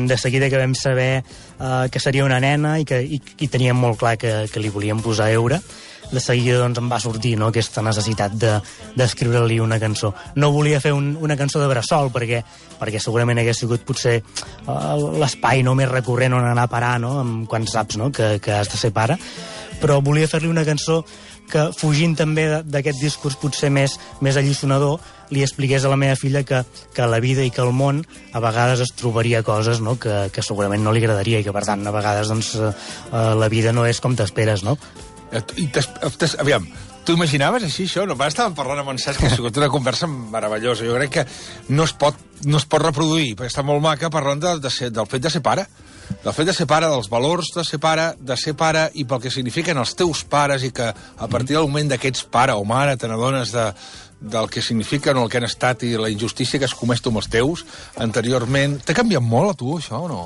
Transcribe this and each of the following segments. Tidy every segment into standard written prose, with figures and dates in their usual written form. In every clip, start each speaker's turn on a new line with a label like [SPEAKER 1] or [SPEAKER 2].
[SPEAKER 1] De seguida que vam saber que seria una nena i teníem molt clar que li volíem posar Eura, de seguida doncs, em va sortir, no, aquesta necessitat d'escriure-li una cançó. No volia fer una cançó de bressol perquè segurament hagués sigut potser l'espai no, més recurrent on anar a parar, no, quan saps, no, que has de ser pare, però volia fer-li una cançó que, fugint també d'aquest discurs potser més alliçonador, li expliqués a la meva filla que la vida i que el món a vegades es trobaria coses, no, que segurament no li agradaria i que, per tant, a vegades doncs, la vida no és com t'esperes, no?
[SPEAKER 2] Aviam, tu imaginaves així això? No, estàvem parlant amb en Cesc, que ha sigut una conversa meravellosa. Jo crec que no es pot reproduir, perquè està molt maca parlant del fet de ser pare. Del fet de ser pare, dels valors de ser pare i pel que signifiquen els teus pares, i que a partir del moment que ets pare o mare te n'adones del que signifiquen o el que han estat i la injustícia que has comès tu amb els teus anteriorment. T'ha canviat molt a tu, això, o no?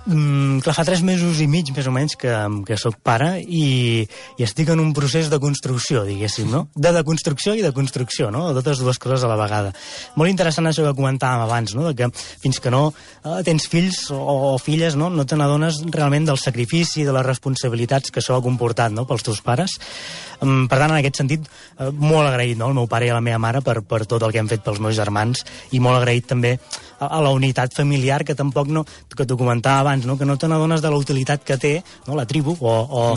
[SPEAKER 1] Clar, fa 3 mesos i mig, més o menys, que soc pare i estic en un procés de construcció, diguéssim, no? De deconstrucció i de construcció, no? Totes dues coses a la vegada. Molt interessant això que comentàvem abans, no? De que fins que no tens fills o filles, no te n'adones realment del sacrifici, de les responsabilitats que això ha comportat, no?, pels teus pares. Per tant, en aquest sentit, molt agraït, no?, al meu pare i a la meva mare per tot el que hem fet pels meus germans, i molt agraït també a la unitat familiar, que tampoc que t'ho comentava abans, no? Que no te n'adones de la utilitat que té, no?, la tribu o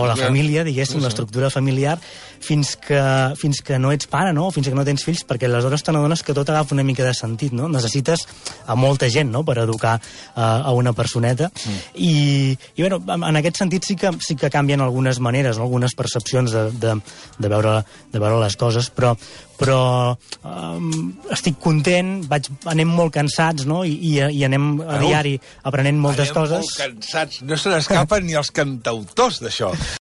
[SPEAKER 1] la família, diguéssim, l'estructura familiar, fins que no ets pare, no?, fins que no tens fills, perquè aleshores te n'adones que tot agafa una mica de sentit, no? Necessites a molta gent, no?, per educar a una personeta. I bueno, en aquest sentit sí que canvien algunes maneres, no?, algunes percepcions de veure les coses, però estic content, anem molt cansats, no?, i anem a diari aprenent moltes coses.
[SPEAKER 2] Anem molt cansats, no se n'escapen ni els cantautors d'això.